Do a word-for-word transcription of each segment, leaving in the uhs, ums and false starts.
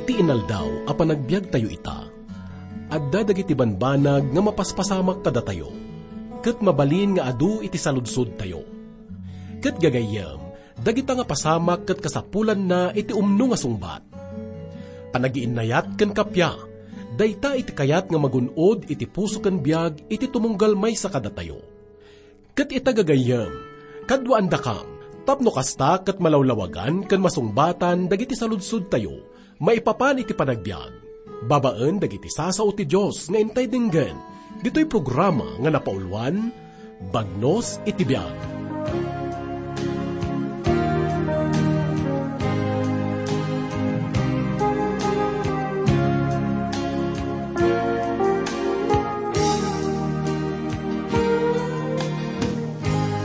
Ti inaldaw a panagbiagtayo ita, adda dagiti banbanag nga mapaspasamak kadatayo, ket mabalin nga adu iti saludsodtayo. Ket gagayyem, dagita nga pasamak ket kasapulanna iti umno nga sungbat. Panagiinnayat ken kappia, dayta iti kayat nga magun-od iti puso ken biag iti tumunggal maysa kadatayo. Ket ita gagayyem, kaduaandakam, tapno kasta ket malawlawagan ken masungbatan dagiti saludsodtayo maipapan iti panagbiag, babaen dagiti sasao ti Dios nga intay denggen, ditoy programa nga napauluan, Bagnos iti Biag.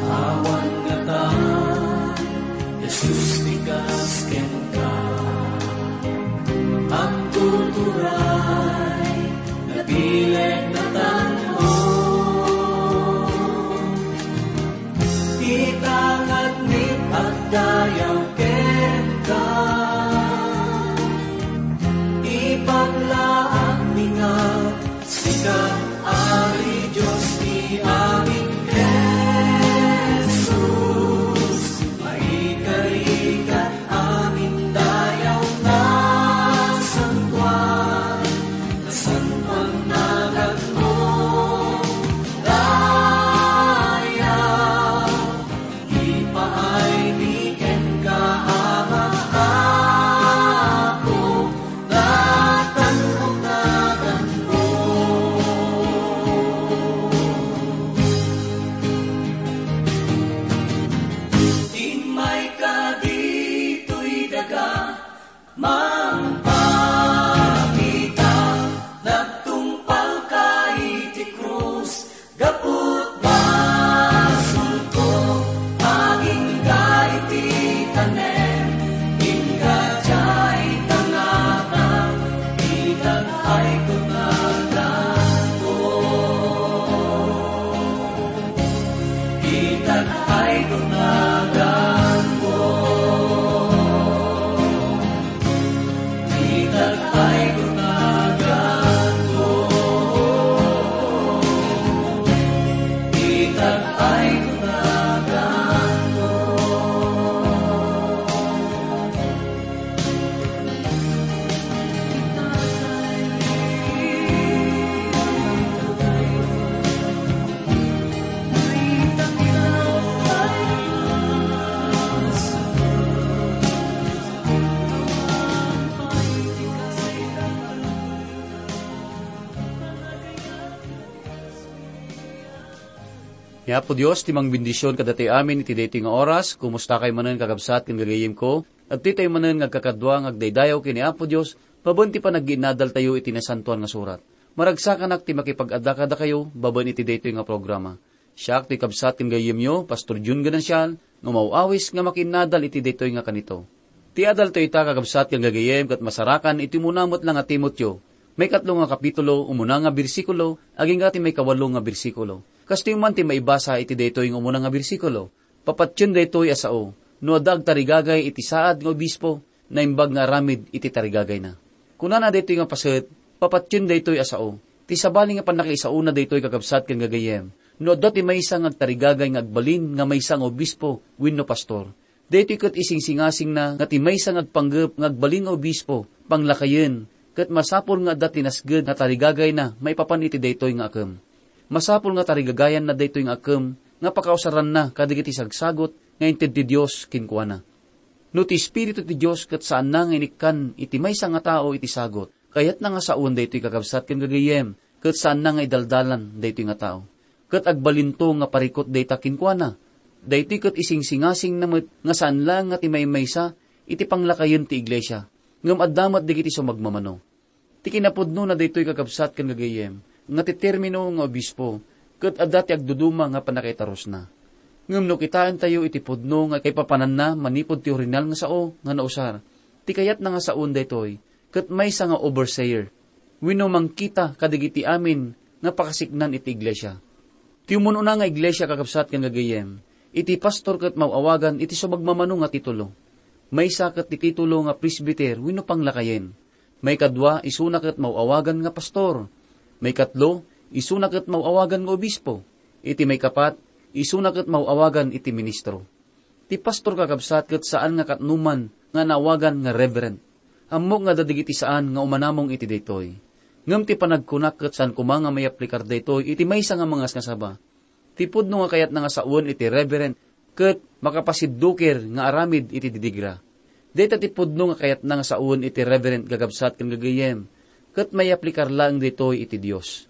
Awan ngata, Jesus, ti kas kenka. Agtuturay, nabileg, natanong. Ita ngarud agdayaw kenka. Ipaglaakmi nga sika, Ari Dios ti amin, Jesus, maikari ka amin dayaw nga santuan, santuan naganmo, dayaw. Ipaaymi kenka, Ama, Apo, nga tan-ok naganmo. Immayka ditoy daga, mangpakita, nagtungpalka iti krus, gapu ta basolko, agingga iti tanem, ingga diay tangatang, itag-ayko naganko. Itag-ayko naganko. Itag-ayko naganko. Itag-ayko naganko. Ni Apo Dios ti mangbendision kadatayo amin iti daytoy nga oras. Kumustakay manen, kakabsat ken gagayyemko? Adtoy tayo manen nga agkakadua nga agdaydayaw ken ni Apo Dios babaen ti panagginnadaltayo iti Nasantoan nga Surat. Maragsakanak ti makipag-adda kadakayo babaen iti daytoy nga programa. Siak ti kabsat ken gayyemyo, Pastor Jun Ganancial, nga umaw-awis nga makiinnadal iti daytoy nga kanito. Ti adaltayo ita, kakabsat ken gagayyem, ket masarakan iti umuna met la nga Timoteo, maikatlo nga kapitulo, umuna nga bersikulo, agingga ti maikawalo nga bersikulo. Kastoy man ti maibasa iti daytoy nga umuna nga bersikulo. Papatien daytoy a sao, no adda agtarigagay iti saad nga obispo, naimbag nga aramid iti tarigagayna. Kunana daytoy nga paset, papatien daytoy a sao. Ti sabali nga pannakaisaona daytoy, kakabsat ken gagayyem, no adda ti maysa nga agtarigagay nga agbalin nga maysa nga obispo wenno pastor. Daytoy ket isingsingasingna nga ti maysa nga agpanggep nga agbalin nga obispo, panglakayen, ket masapul nga adda ti nasged nga tarigagayna maipapan iti daytoy nga akem. Masapul nga tarigagayanna daytoy nga akem nga pakausaranna kadagiti sagsagut nga inted ti Dios kenkuana. No ti Espiritu ti Dios ket saanna nga inikkan iti maysa nga tao iti sagut, kayatna nga sawen daytoy, kakabsat ken gagayyem, ket saanna nga idaldalan daytoy nga tao. Ket agbalinto nga parikut dayta kenkuana. Daytoy ket isingsingasingna met nga saan laeng nga ti maymaysa iti panglakayen ti iglesia, ngem adda met dagiti sumagmamano. Ti kinapudnona daytoy, kakabsat ken gagayyem, nga ti termino nga obispo ket adda ti agduduma nga pannakaitarusna. Ngem no kitaentayo iti pudno nga kaipapananna manipud ti orihinal nga sao nga nausar, ti kayatna nga sawen daytoy ket maysa nga overseer wenno mangkita kadagiti amin nga pakasiknan iti iglesia. Ti umun-una nga iglesia, kakabsat ken gagayyem, iti pastor ket maw-awagan iti sumagmamano nga titulo. Maysa ket ti titulo nga presbiter wenno panglakayen. Maikadua, isuna ket maw-awagan nga pastor. Maikatlo, isuna ket maw-awagan nga obispo. Iti maikapat, isuna ket maw-awagan iti ministro. Ti pastor, kakabsat, ket saan nga katnoman nga naawagan nga reverend. Ammok nga adda dagiti saan nga umanamong iti daytoy. Ngem ti panagkunak ket saan koma nga mayaplikar daytoy iti maysa nga mangasngasaba. Ti pudno nga kayatna nga sawen iti reverend ket makapasiddukir nga aramid iti didigra. Dayta ti pudno nga kayatna nga sawen iti reverend, kakabsat ken gagayyem, ket mayaplikar laeng daytoy iti Dios.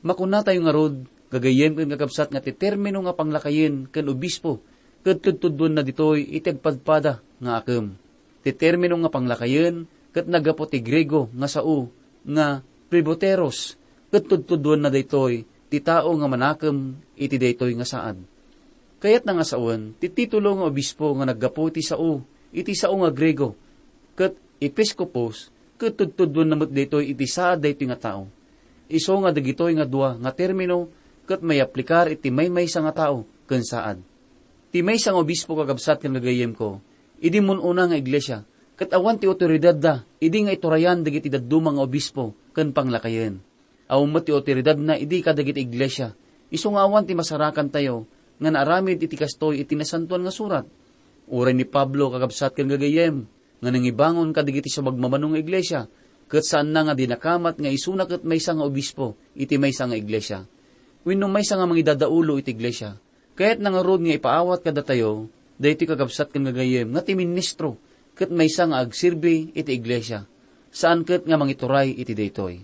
Makunatayo ngarud, gagayyem ken kakabsat, nga ti termino nga panglakayen ken obispo ket tudtuduenna ditoy iti agpadpada nga akem. Ti termino nga panglakayen ket naggapu ti Griego nga sao nga presbyteros, ket tudtuduenna daytoy ti tao nga manakem iti daytoy nga saad. Kayatna nga sawen ti titulo nga obispo nga naggapu iti sao, iti sao nga Griego, ket episkopos, ket tudtuduenna met daytoy iti saad daytoy nga tao. Isu nga dagitoy nga dua nga termino ket mayaplikar iti maymaysa nga tao ken saad. Ti maysa nga obispo, kakabsat ken gagayyemko, idi mun-una nga iglesia, ket awan ti awtoridadda idi nga iturayan dagiti dadduma nga obispo ken panglakayen. Awan met ti awtoridadna idi kadagiti iglesia. Isu nga awan ti masarakantayo nga naaramid iti kastoy iti Nasantoan nga Surat. Uray ni Pablo, kakabsat ken gagayyem, nga nangibangon kadagiti sumagmamano nga iglesia, ket saanna nga dinakamat nga isuna ket maysa nga obispo iti maysa nga iglesia wenno maysa nga mangidadaulo iti iglesia. Kayatna ngarud nga ipaawat kadatayo daytoy, kakabsat ken gagayyem, nga ti ministro ket maysa nga agserbi iti iglesia, saan ket nga mangituray iti daytoy.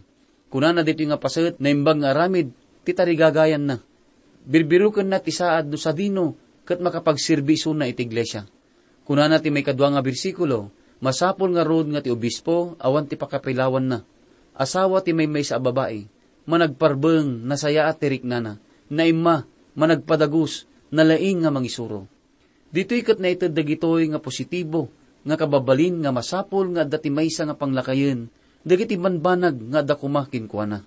Kunana daytoy nga paset, naimbag nga aramid ti tarigagayanna. Birbirukenna ti saad no sadino ket makapagserbi isuna iti iglesia. Kunana ti maikadua nga bersikulo, masapul ngarud nga ti obispo awan ti pakapilawanna. Asawa ti maymaysa a babai, managparbeng, nasayaat ti riknana, naimma, managpadagus, nalaing nga mangisuro. Ditoy ket naited dagitoy nga positibo nga kababalin nga masapul nga adda ti maysa nga panglakayen dagiti banbanag nga adda koma kenkuana.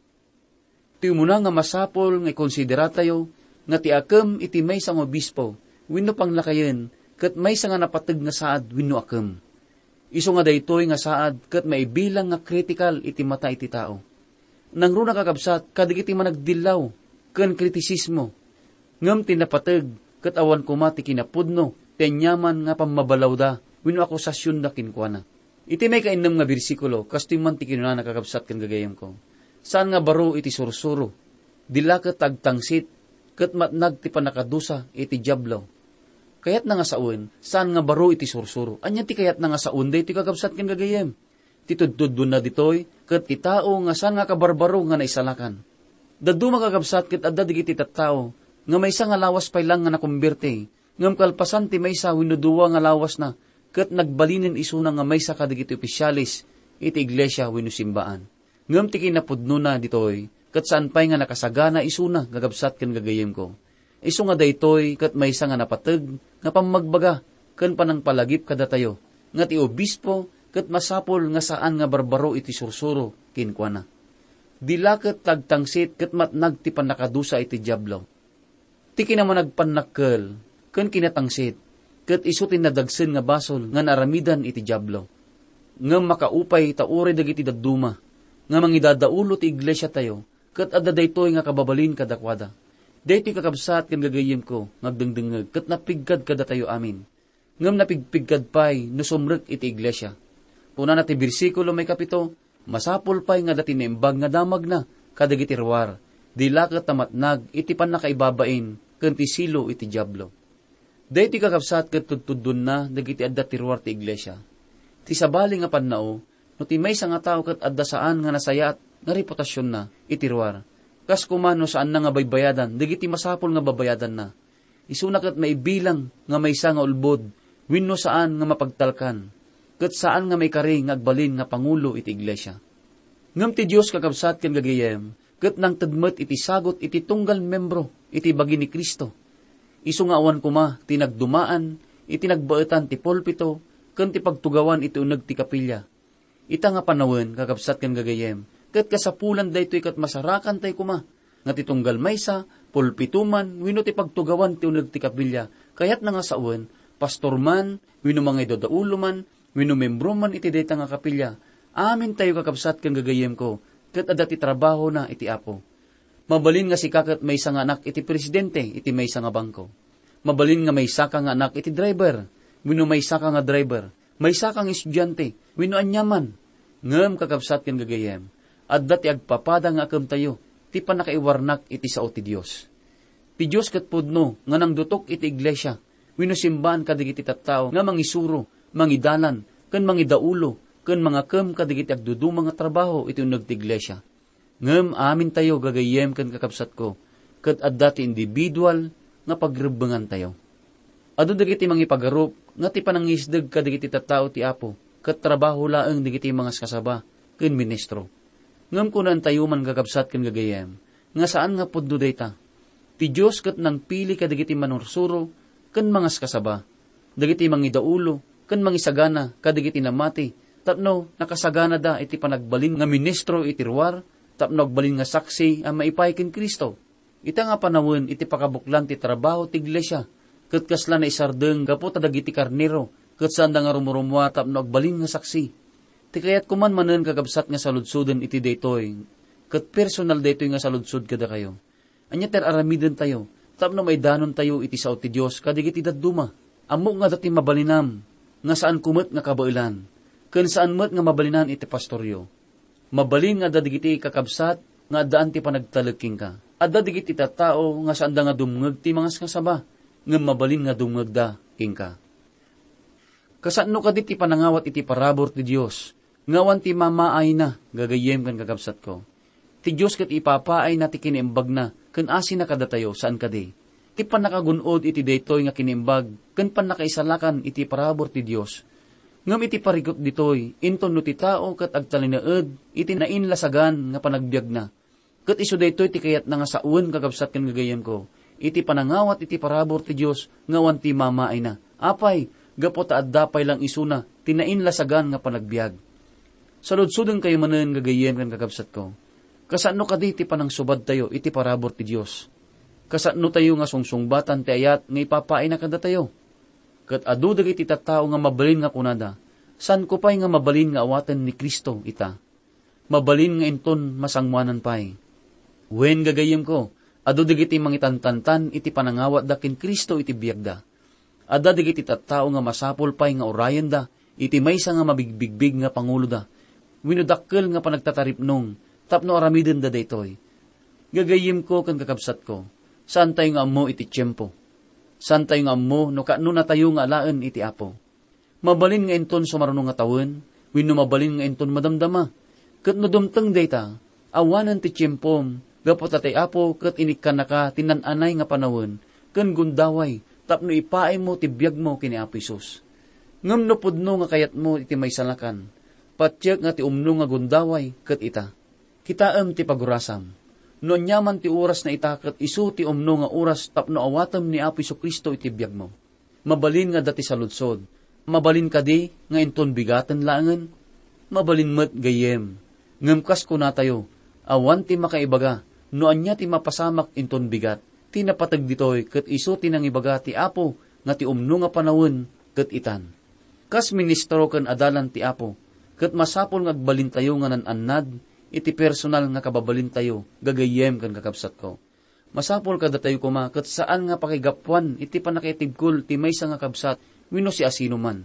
Ti umuna nga masapul nga ikonsideratayo nga ti akem iti maysa nga obispo wenno panglakayen ket maysa nga napateg nga saad wenno akem. Isu nga daytoy nga saad ket maibilang nga kritikal iti mata iti tao. Nangruna, kakabsat, kadagiti managdillaw ken kritisismo, ngem ti napateg ket awan koma ti kinapudno ti aniaman nga pammabalawda wenno akusasionda kenkuana. Iti maikainnem nga bersikulo, kastoy man ti kinunana, kakabsat ken gagayyemko, saan nga baro iti sursuro, dila ket agtangsit ket matnag ti pannakadusa iti Diablo. Kayatna nga sawen, saan nga baro iti sursuro. Ania ti kayatna nga sawen daytoy, kakabsat ken gagayyem? Ti tudtuduenna ditoy ket ti tao nga saan nga kabarbaro nga naisalakan. Dadduma, kakabsat, ket adda dagiti tattao nga maysa nga lawas pay lang nga nakomberti, ngem kalpasan ti maysa wenno dua nga lawasna, ket nagbalinen isuna nga maysa kadagiti ofisiales iti iglesia wenno simbaan. Ngem ti kinapudnona ditoy, ket saan pay nga nakasagana isuna, kakabsat ken gagayyemko. Isu nga daytoy ket maysa nga napateg nga pammagbaga ken panangpalagip kadatayo, nga ti obispo ket masapul nga saan nga barbaro iti sursuro kenkuana. Dila ket agtangsit ket matnag ti pannakadusa iti Diablo. Ti kinamanagpannakkel ken kinatangsit, ket isu ti nadagsen nga basol nga naaramidan iti Diablo. Ngem makaupay ta uray dagiti dadduma nga mangidadaulo ti iglesiatayo, ket adda daytoy nga kababalin kadakuada. Daytoy, kakabsat ken gagayyemko nga agdengdengngeg, ket napiggad kadatayo amin. Ngem napigpiggad pay no sumrek iti iglesia. Kunana ti bersikulo maikapito, masapul pay nga adda ti naimbag nga damagna kadagiti ruar, dila ket ta matnag iti pannakaibabain ken ti silo iti Diablo. Daytoy, kakabsat, ket tudtuddonna dagiti adda ti ruar ti iglesia. Ti sabali nga pannao, no ti maysa nga tao ket adda saan nga nasayaat nga reputasionna iti ruar, kas koma no saanna nga baybayadan dagiti masapul nga babayadanna, isuna ket maibilang nga maysa nga ulbod wenno saan nga mapagtalkan, ket saan nga maikari nga agbalin nga pangulo iti iglesia. Ngem ti Dios, kakabsat ken gagayyem, ket nangted met iti sagut iti tunggal membro iti bagi ni Cristo. Isu nga awan koma ti nagdumaan iti nagbaetan ti pulpito ken ti pagtugawan iti uneg ti kapilya. Ita nga panawen, kakabsat ken gagayyem, ket kasapulan daytoy ket masarakan tay koma, nga ti tunggal maysa, pulpito man, wenno ti pagtugawan ti uneg ti kapilya, kayatna nga sawen, pastor man, wenno mangidadaulo man, wenno membro man iti dayta nga kapilya, Amintayo, kakabsat ken gagayyemko, ket adda ti trabahona iti Apo. Mabalin nga sika ket maysa nga anak iti presidente iti maysa nga bangko. Mabalin nga maysaka nga anak iti driver, wenno maysaka nga driver, maysaka nga estudiante, wenno aniaman. Ngem, kakabsat ken gagayyem, adda ti agpapada nga akemtayo ti pannakaiwarnak iti sao ti Dios. Ti Dios ket pudno nga nangdutok iti iglesia wenno simbaan kadagiti tattao nga mangisuro, mangidalan, ken mangidaulo, ken mangakem kadagiti agduduma nga trabaho iti uneg ti iglesia. Ngem amintayo, gagayyem ken kakabsatko, ket adda ti individual nga pagrebbengantayo. Adu dagiti mangipagarup nga ti panangisdeg kadagiti tattao ti Apo ket trabaho laeng dagiti mangaskasaba ken ministro. Ngem kunantayo man, kakabsat ken gagayyem, nga saan nga pudno dayta. Ti Dios ket nangpili kadagiti manursuro ken mangaskasaba, dagiti mangidaulo ken mangisagana kadagiti namati, tapno nakasaganada iti panagbalin nga ministro iti ruar, tapno agbalin nga saksi a maipaay ken Cristo. Ita nga panawen iti pakabuklan ti trabaho ti iglesia, ket kasla naisardeng gapu ta dagiti karnero, ket saanda nga rumurumua tapno agbalin nga saksi. Ti kayatko man manen, kakabsat, nga saludsoden iti daytoy, ket personal daytoy nga saludsod kadakayo. Ania ti ar-aramidentayo tapno maidanontayo iti sao ti Dios kadagiti dadduma? Ammok nga adda ti mabalinam, nga saanko met nga kabaelan, ken saan met nga mabalinan iti pastoryo. Mabalin nga adda dagiti kakabsat nga addaan ti panagtalek kenka. Adda dagiti tattao nga saanda nga dumngeg ti mangaskasaba, ngem mabalin nga dumngegda kenka. Kasano kadi ti panangawat iti parabur ti Dios nga awan ti mamaayna, gagayyem ken kakabsatko? Ti Dios ket ipapaayna ti kinaimbagna ken asina kadatayo, saan kadi? Ti pannakagun-od iti daytoy nga kinaimbag ken pannakaisalakan iti parabur ti Dios. Ngem iti parikut ditoy, inton no ti tao ket agtalinaed iti nainlasagan nga panagbiagna, ket isu daytoy ti kayatna nga sawen, kakabsat ken gagayyemko, iti panangawat iti parabur ti Dios nga awan ti mamaayna. Apay, gapu ta adda pay lang isuna ti nainlasagan nga panagbiag. Saludsodenkayo manen, gagayyem ken kakabsatko. Kasano kadi ti panangsubadtayo iti parabur ti Dios? Kasano tayo nga sungsungbatan ti ayat nga ipapaayna kadatayo? Ket adu dagiti tattao nga mabalin nga kunada, "Saanko pay nga mabalin nga awaten ni Cristo ita? Mabalin nga inton masangoanan pay." Wen, gagayyemko, adu dagiti mangitantantan iti panangawatda ken Cristo iti biagda. Adda dagiti tattao nga masapul pay nga urayenda iti maysa nga mabigbigbig nga panguloda wenno dakkel nga panagtataripnong tapno aramidenda daytoy. Gagayyemko ken kakabsatko, saantayo nga ammo iti tiempo. Saantayo nga ammo no kaanonatayo nga alaen iti Apo. Mabalin nga inton sumaruno nga tawen, wenno mabalin nga inton madamdama. Ket no dumteng dayta, awanen ti tiempom, gapu ta ti Apo ket inikkannaka ti naan-anay nga panawen ken gundaway tapno ipaaymo ti biagmo ken ni Apo Jesus. Ngem no pudno nga kayatmo iti maisalakan, patiek nga ti umno nga gundaway ket ita. Kitaem ti pagurasam. No aniaman ti orasna ita ket isu ti umno nga oras tapno awatem ni Apo Jesu-Cristo iti biagmo. Mabalin nga adda ti saludsod. Mabalin kadi nga inton bigaten laengen? Mabalin met, gayyem. Ngem kas kunatayo, awan ti makaibaga no ania ti mapasamak inton bigat. Ti napateg ditoy ket isu ti nangibaga ti Apo nga ti umno nga panawen ket itan. Kas ministro ken adalan ti Apo, ket masapul nga agbalintayo nga nan-annad iti personal nga kababalintayo, gagayyem ken kakabsatko. Masapul kadatayo koma ket saan nga pakigapuan iti pannakaitibkol ti maysa nga kabsat wenno siasinoman.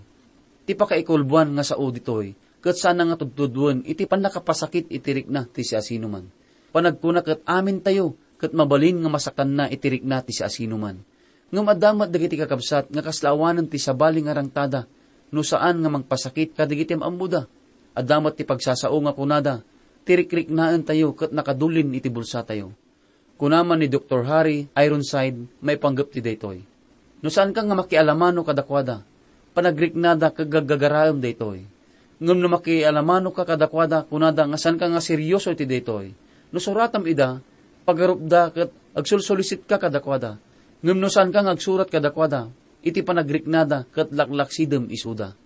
Ti pakaikulboan nga sao ditoy ket saanna nga tudtudoen iti pannakapasakit iti rikna ti siasinoman. Panagkuna ket amintayo ket mabalin nga masakanna iti rikna ti siasinoman. Ngem adda met dagiti kakabsat nga kasla awanen ti sabali nga rangtada no saan nga mangpasakit kadagiti am-ammoda. Adda met ti pagsasao nga kunada, "Ti rikriknaentayo ket nakadulin iti bulsatayo." Kuna man ni Doktor Harry Ironside maipanggep ti daytoy, "No saanka nga makialamano kadakuada, panagriknada ket gaggagaraem daytoy. Ngem no makialamanoka kadakuada, kunada nga saanka nga serioso iti daytoy. No suratam ida, pagarupda ket agsulsulisitka kadakuada. Ngem no saanka nga agsurat kadakuada, iti panagriknada ket laklaksidem isuda.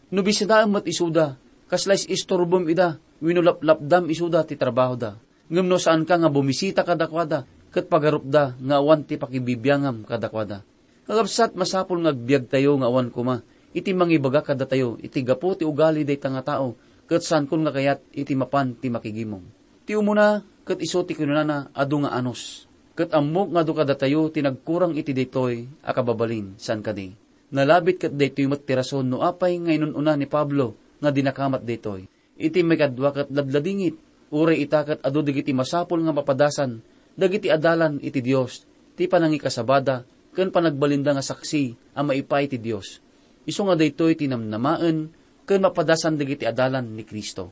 No bisitaem met isuda, kasla is-istorbom ida wenno laplapdam isuda ti trabahoda. Ngem no saanka nga bumisita kadakuada ket pagarupda nga awan ti pakibibiangam kadakuada." Kakabsat, masapul nga agbiagtayo nga awan koma iti mangibaga kadatayo iti gapu ti ugali dayta nga tao ket saankon nga kayat iti mapan ti makigimong. Ti umuna, ket isu ti kinunana, adu nga anus. Ket ammok nga adu kadatayo ti nagkurang iti daytoy a kababalin, saan kadi? Nalabit ket daytoy met ti rason no apay nga inun-una ni Pablo nga dinakamat daytoy. Iti maikadua ket ladladingit, uray ita ket adu dagiti masapul nga mapadasan dagiti adalan iti Dios, ti panangikasabada ken panagbalinda nga saksi a maipaay ti Dios. Isu nga daytoy ti namnamaen ken mapadasan dagiti adalan ni Cristo.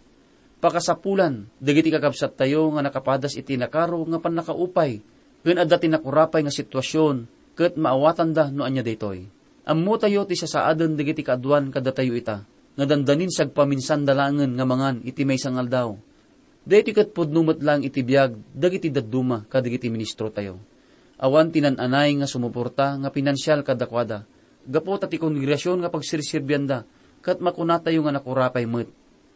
Pakasapulan dagiti kakabsattayo nga nakapadas iti nakaro nga pannakaupay ken adda ti nakurapay nga situasion ket maawatanda no ania daytoy. Ammotayo ti sasaaden dagiti kaaduan kadatayo ita, nga dandanin sagpaminsanda laengen nga mangan iti maysa nga aldaw. Daytoy ket pudno met laeng iti biag dagiti dadduma kadagiti ministrotayo. Awan ti nan-anay nga sumuporta nga pinansial kadakuada, gapu ta ti kongregasion nga pagserserbianda, ket makunatayo nga nakurapay met.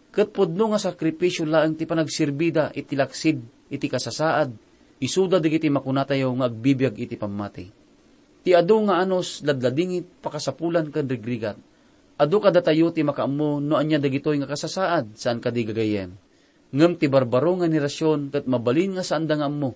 Ket pudno nga sakripisio laeng ti panagserbida iti laksid iti kasasaad, isuda dagiti makunatayo nga agbibiag iti pammati. Ti adu nga anus ladladingit, pakasapulan ken rigrigat. Adu kadatayo ti makaammo no ania dagitoy nga kasasaad, saan kadi, gagayyem? Ngem ti barbaro nga henerasion ket mabalin nga saanda nga ammo.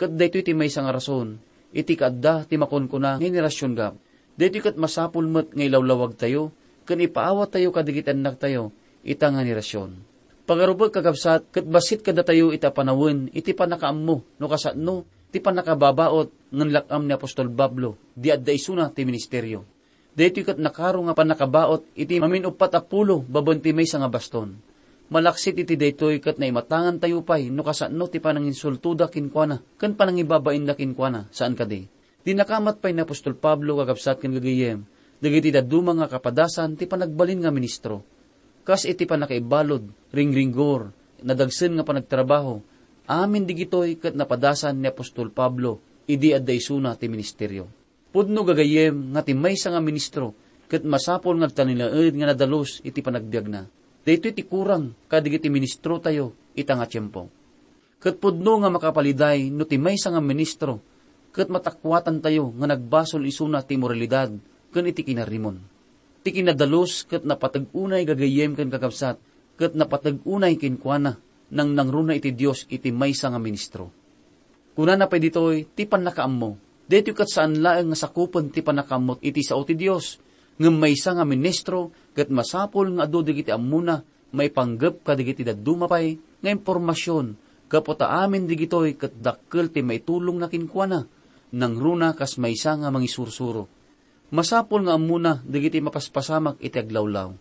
Ket daytoy ti maysa nga rason iti kaadda ti makunkuna nga henerasion gap. Daytoy ket masapul met nga ilawlawagtayo ken ipaawattayo kadagiti annaktayo ita nga henerasion. Pagarupek, kakabsat, ket bassit kadatayo iti apanawen iti pannakaammo no kasano ti pannakababaot nga inlak-am ni apostol Pablo idi adda isuna ti ministerio. Daytoy ket nakaro nga pannakabaot iti mamin-uppat a pulo babaen ti maysa nga baston. Malaksid iti daytoy ket naimatangantayo pay no kasano ti pananginsultoda kenkuana ken panangibabainda kenkuana, saan kadi? Dinakamat pay ni apostol Pablo, kakabsat ken gagayyem, dagiti dadduma nga kapadasan ti panagbalin nga ministro. Kas iti pannakaibalud, ringringgor, nadagsen nga panagtrabaho, amin digitoy ket napadasan ni apostol Pablo idi adda isuna ti ministerio. Pudno, gagayyem, nga ti maysa nga ministro ket masapul nga agtalinaed nga nadalus iti panagbiagna. Daytoy ti kurang kadagiti ministrotayo ita nga tiempo. Ket pudno nga makapaliday no ti maysa nga ministro ket matakuatantayo nga nagbasol isuna ti imoralidad ken iti kinarimon. Ti kinadalus ket napateg unay, gagayyem ken kakabsat, ket napateg unay kenkuana, nangnangruna iti Dios iti maysa nga ministro. Kunana pay ditoy ti pannakaammo. Daytoy ket saan laeng nga sakupen ti pannakaammo iti sao ti Dios, ngem maysa nga ministro ket masapul nga adu dagiti ammona maipanggep kadagiti dadduma pay nga impormasion, gapu ta amin digitoy ket dakkel ti maitulongna kenkuana, nangruna kas maysa nga mangisursuro. Masapul nga ammona dagiti mapaspasamak iti aglawlaw.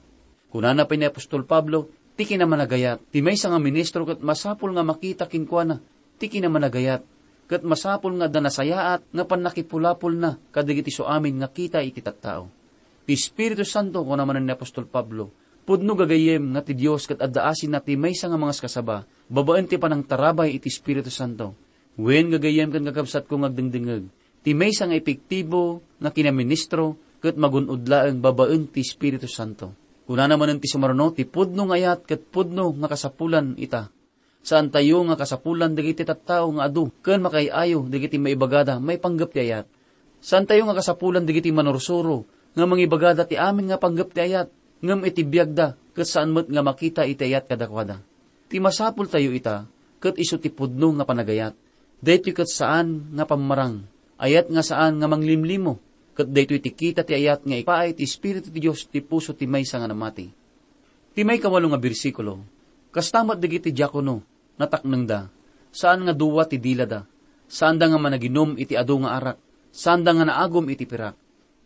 Kunana pay ni apostol Pablo, ti kinamanagayat, ti maysa nga ministro ket masapul nga makita kenkuana ti kinamanagayat, ket masapul nga adda nasayaat nga pannakipulapolna kadagiti isuamin nga kita iti tattao. Ti Espiritu Santo, kuna manen ni apostol Pablo, pudno, gagayyem, nga ti Dios ket adda asinna ti maysa nga mangaskasaba babaen ti panangtarabay iti Espiritu Santo. Wen, gagayyem ken kakabsatko nga agdengdengngeg, ti maysa nga epektibo nga kinaministro ket magun-od laeng babaen ti Espiritu Santo. Kunana manen ti sumaruno, ti pudno nga ayat ket pudno nga kasapulan ita. Saantayo nga kasapulan dagiti tattao nga adu ken makaay-ayo dagiti maibagada maipanggep ti ayat. Saantayo nga kasapulan dagiti manursuro nga mangibagada ti amin nga panggep ti ayat, ngem iti biagda ket saan met nga makita iti ayat kadakuada. Ti masapultayo ita, ket isu ti pudno nga panagayat. Daytoy ket saan nga pammarang, ayat nga saan nga manglimlimo, ket daytoy ti kita ti ayat nga ipaay ti Espiritu ti Dios ti puso ti maysa nga namati. Ti maikawalo nga bersikulo, kasta met dagiti diakono, nataknengda, saan nga dua ti dilada, saanda nga managinum iti adu nga arak, saanda nga naagum iti pirak.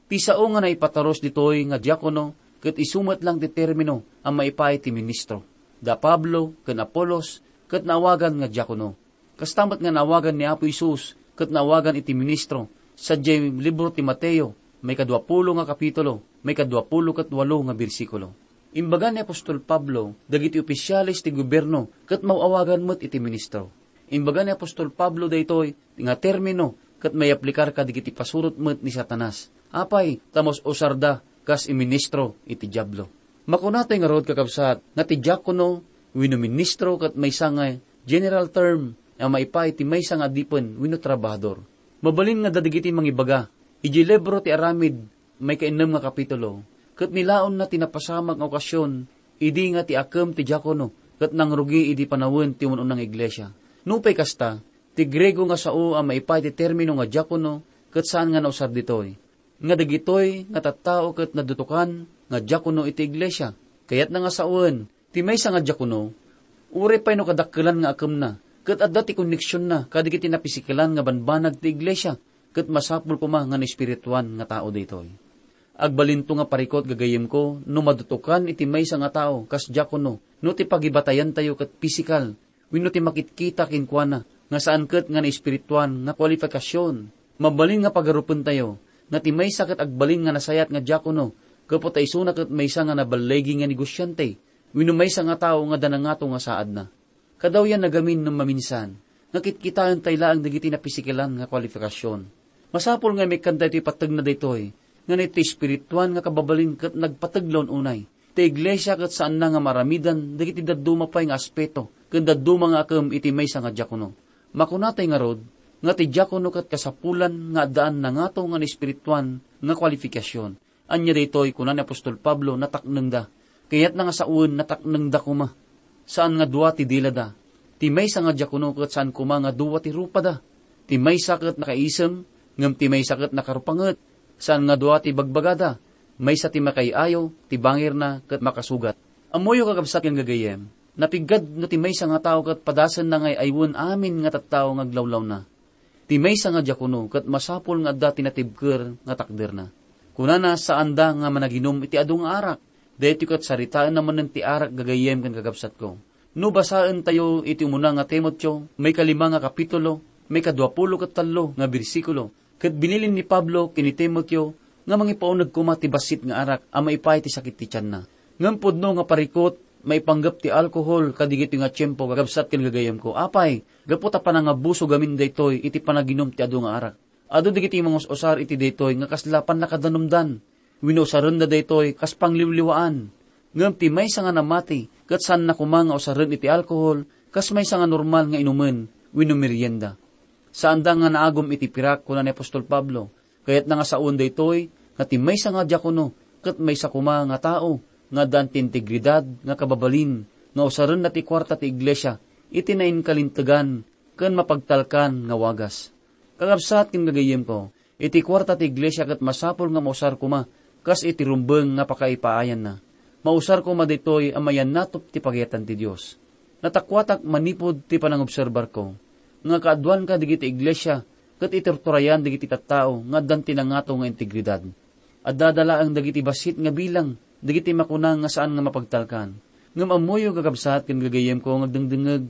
Ti sao nga naipatarus ditoy nga diakono ket isu met lang ti termino a maipaay ti ministro. Da Pablo ken Apolos ket naawagan nga diakono. Kasta met nga naawagan ni Apo Jesus ket naawagan iti ministro sadiay libro ti Mateo, maikadua pulo nga kapitulo, maikadua pulo ket walo nga bersikulo. Imbaga ni apostol Pablo dagiti opisiales ti gobierno ket maaw-awagan met iti ministro. Imbaga ni apostol Pablo daytoy nga termino ket maiyaplikar kadagiti pasurot met ni Satanas. Apay, ta mas usarda kas iministro iti Diablo. Makunatay ngarud, kakabsat, nga ti diakono wenno ministro ket maysa nga general term a maipaay ti maysa nga adipen wenno trabahador. Mabalin nga dagiti mangibaga, iti libro ti Aramid, maikainnem nga kapitulo, ket nilaonna ti napasamak nga okasion idi nga ti akem ti diakono ket nangrugi idi panawen ti un-una nga iglesia. Nupay kasta, ti Griego nga sao a maipaay ti termino nga diakono ket saan nga nausar ditoy. Nga dagitoy nga tattao ket nadutokan nga diakono iti iglesia. Kayatna nga sawen, ti maysa nga diakono, uray pay no kadakkelan nga akemna, ket adda ti koneksionna kadagiti napisikelan nga banbanag ti iglesia, ket masapul koma nga naespirituan nga tao daytoy. Agbalinto nga parikut gagayyemko no madutokan iti maysa nga tao kas diakono no ti pagibatayantayo ket pisikal wenno ti makitkita kenkuana nga saan ket nga naespirituan nga kualifikasion. Mabalin nga pagarupentayo nga ti maysa ket agbalin nga nasayaat nga diakono gapu ta isuna ket maysa nga naballigi nga negosiante wenno maysa nga tao nga adda nangato nga saadna. Kadawyan nagamin no maminsan nga kitkitaentay laeng dagiti napisikelan nga kualifikasion. Masapul nga imikkantayo ti pateg na daytoy, nga iti espirituan nga kababalin ket nagpateg la un-unay. Ti iglesia ket saanna nga maaramidan dagiti dadduma pay nga aspeto ken dadduma nga akem iti maysa nga diakono. Makunatay ngarud nga ti diakono ket kasapulan nga addaan nangato nga naespirituan nga kualifikasion. Ania daytoy, kuna ni apostol Pablo, nataknengda. Kayatna nga sawen, nataknengda koma. Saan nga dua ti dilada. Ti maysa nga diakono ket saan koma nga dua ti rupada. Ti maysa ket nakaisem, ngem ti maysa ket nakarupanget. Saan nga dua ti bagbagada. Maysa ti makaay-ayo, ti bangirna ket makasugat. Ammoyo, kakabsat ken gagayyem, napiggad no ti maysa nga tao ket padasenna nga ay-aywen amin nga tattao nga aglawlawna. Ti maysa nga diakono ket masapul nga adda ti natibker nga takderna. Kunana, saanda nga managinum iti adu nga arak. Daytoy ket saritaenna manen ti arak, gagayyem ken kakabsatko. No basaentayo iti umuna nga Timoteo, maikalimang nga kapitulo, maikaduapulo ket tallo nga bersikulo, ket binilin ni Pablo ken ni Timoteo nga mangipauneg koma ti bassit nga arak a maipaay ti sakit ti tianna. Ngem pudno nga parikut, maipanggep ti alkohol kadagitoy nga tiempo, kakabsat ken gagayyemko. Apay, gapu ta panangabuso gamin daytoy iti panaginum ti adu nga arak. Adu dagiti mangus-usar iti daytoy nga kasla pannakadanumdan wenno usarenda daytoy kas pangliwliwaan. Ngem ti maysa nga namati ket saanna koma nga usaren iti alkohol kas maysa nga normal nga inumen wenno merienda. Saanda nga naagum iti pirak, kuna ni apostol Pablo. Kayatna nga sawen daytoy nga ti maysa nga diakono ket maysa koma nga tao nga addaan ti integridad nga kababalin nga usarenna ti kuarta ti iglesia iti nainkalintegan ken mapagtalkan nga wagas. Kakabsat ken gagayyemko, iti kuarta ti iglesia ket masapul nga mausar koma kas iti rumbeng nga pakaipaayanna. Mausar koma ditoy a mayannatop ti pagayatan ti Dios. Natakuatak manipud ti panangobserbarko nga kaaduan kadagiti iglesia ket iturturayan dagiti tattao nga addan ti nangato nga integridad. Addada laeng dagiti bassit nga bilang dagiti makuna nga saan nga mapagtalkan. Ngem ammoyo, kakabsat ken gagayyemko nga agdengdengngeg,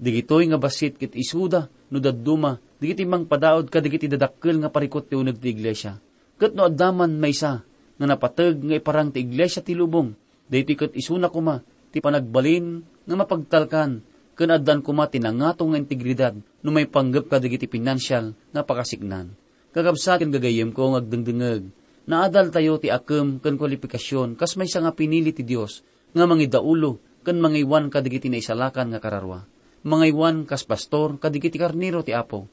dagitoy nga bassit ket isuda no dadduma dagiti mangpadaud kadagiti dadakkel nga parikut ti uneg ti iglesia. Ket no adda man maysa nga napateg nga iparang ti iglesia ti lubong, daytoy ket isuna koma ti panagbalin nga mapagtalkan ken addaan koma ti nangato nga integridad no maipanggep kadagiti pinansial nga pakasiknan. Kakabsat ken gagayyemko nga agdengdengngeg, naadaltayo ti akem ken kualipikasion kas maysa nga pinili ti Dios nga mangidaulo ken mangaywan kadagiti naisalakan nga kararua. Mangaywan kas pastor kadagiti karnero ti Apo.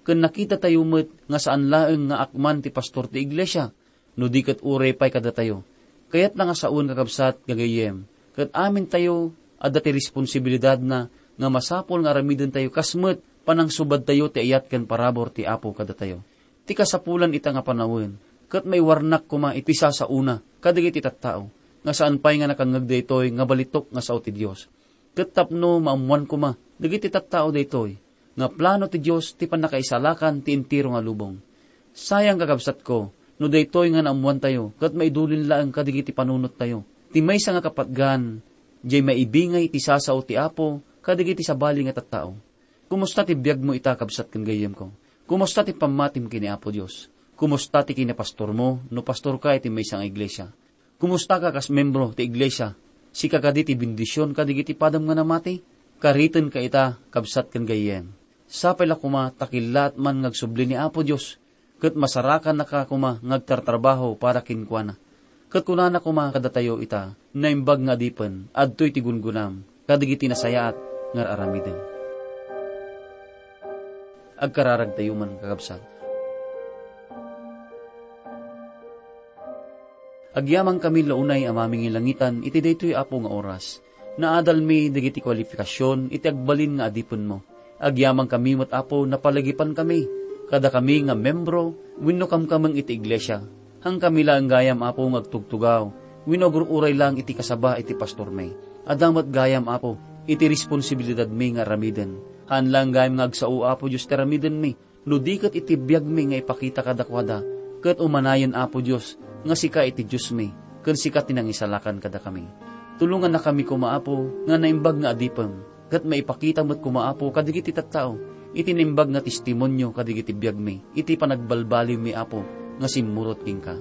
Ken nakitatayo met nga saan laeng nga akman ti pastor ti iglesia, no di ket uray pay kadatayo. Kayatna nga sawen, kakabsat, gagayyem, ket amintayo adda ti responsibilidadna nga masapul nga aramidentayo kas met panangsubadtayo ti ayat ken parabur ti Apo kadatayo. Ti kasapulan ita nga panawen, ket maiwarnak koma iti sasaona kadagiti tattao, nga saan pay nga nakangngeg daytoy nga balitok nga sao ti Dios. Ket tapno maammoan koma dagiti tattao daytoy, nga plano ti Dios ti pannakaisalakan ti entero nga lubong. Sayang, kakabsatko, no daytoy nga naammoantayo ket maidulin laeng kadagiti panunottayo. Ti maysa nga kapatgan, diay maibingay ti sasao ti Apo kadagiti sabali nga tattao. Kumusta ti biagmo ita, kabsat ken gayyemko? Kumusta ti pammatim ken ni Apo Dios? Kumusta ti kinapastormo no pastorka iti maysa nga iglesia? Kumustaka kas membro ti iglesia? Sika kadi ti bendision kadagiti padam nga namati? Karitenka ita, kabsat ken gayyem. Sapay la koma ta kellaat man nga agsubli ni Apo Dios ket masarakannaka koma nga agtartrabaho para kenkuana. Ket kunana koma kadatayo ita, naimbag nga adipen, adtoy ti gungunam kadagiti nasayaat nga ar-aramidem. Agkararagtayo man, kakabsat. Agyamankami la unay a mamingilangitan iti daytoy, Apo, nga oras. Naadalmi dagiti kualifikasion iti agbalin nga adipenmo. Agyamankami met, Apo, napalagipankami, kadakami nga membro wenno kamkameng iti iglesia. Haankami laeng gayam, Apo, nga agtugtugaw wenno agur-uray laeng iti kasaba iti pastormi. Adda met gayam, Apo, iti responsibilidadmi nga aramiden. Haan laeng gayam nga agsao, Apo Dios, ti aramidenmi, no di ket iti biagmi nga ipakita kadakuada, ket umanayen, Apo Dios, nga sika iti Diosmi, ken sika ti nangisalakan kadakami. Tulongannakami koma, Apo, nga naimbag nga adipem, ket maipakita met koma, Apo, kadagiti tattao iti naimbag nga testimonio kadagiti biagmi iti panagbalbaliwmi, Apo, nga simmurot kenka.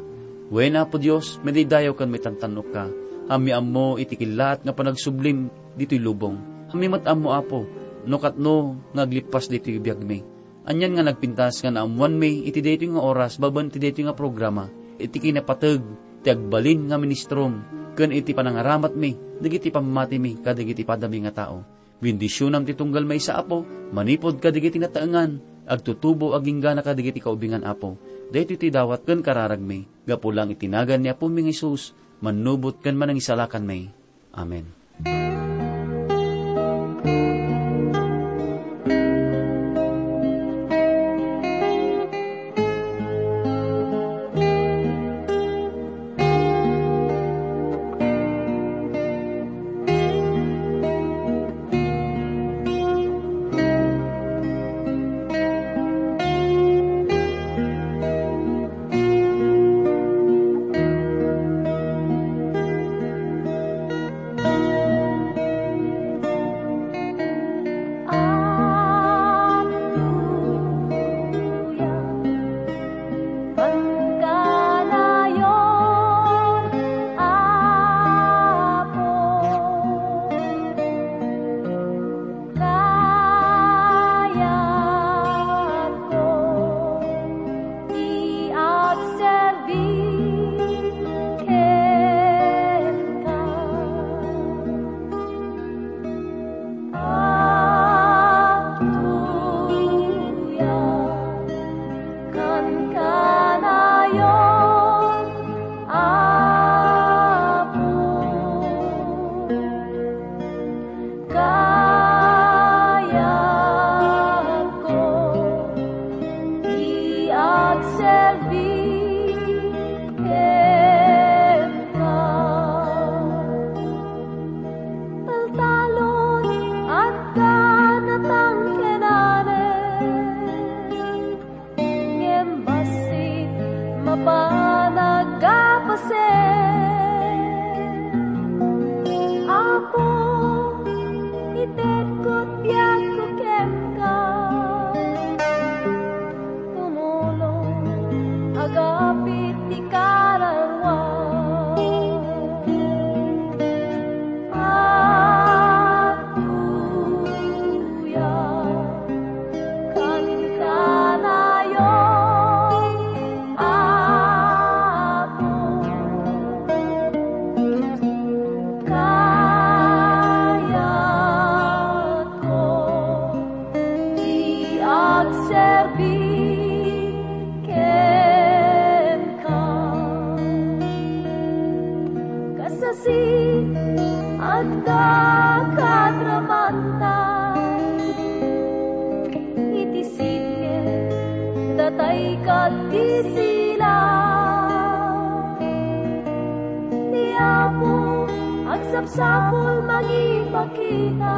Wen, Apo Dios, madaydayaw ken maitantannokka. Ammi ammo iti kellaat nga panagsublim ditoy lubong. Ammi met ammo, Apo, no katno nga aglippas ditoy biagmi. Anian nga nagpintas nga naammoanmi iti daytoy nga oras babaen iti daytoy nga programa, iti kinapateg ti agbalin nga ministrom, ken iti panangaramatmi dagiti pammatimi kadagiti padami nga tao. Bendisionam ti tunggal maysa, Apo, manipud kadagiti nataengan, agtutubo agingga kadagiti kaubingan, Apo. Daytoy ti dawat ken kararagmi, gapu laeng iti nagan ni Apomi nga Jesus, mannubot ken manangisalakanmi. Amen. Hallelujah. Pagkanayon, Apo, kayatko ti agserbi kenka. Agtuyam kankanayon, Apo. Kayatko ti agserbi kenka. Taltalon, adda natangkenanen, ngem bassit mapan aggapasen. Apo, itedko ti biagko kenka. Tumulong, agapit ti kararua. Agtuyam kankanayon, Apo. Kayatko ti agserbi kenka. Kasasi, adda kadramanta iti sitge, datay ket ti sila. Ni Apo, agsapsapul mangipakita.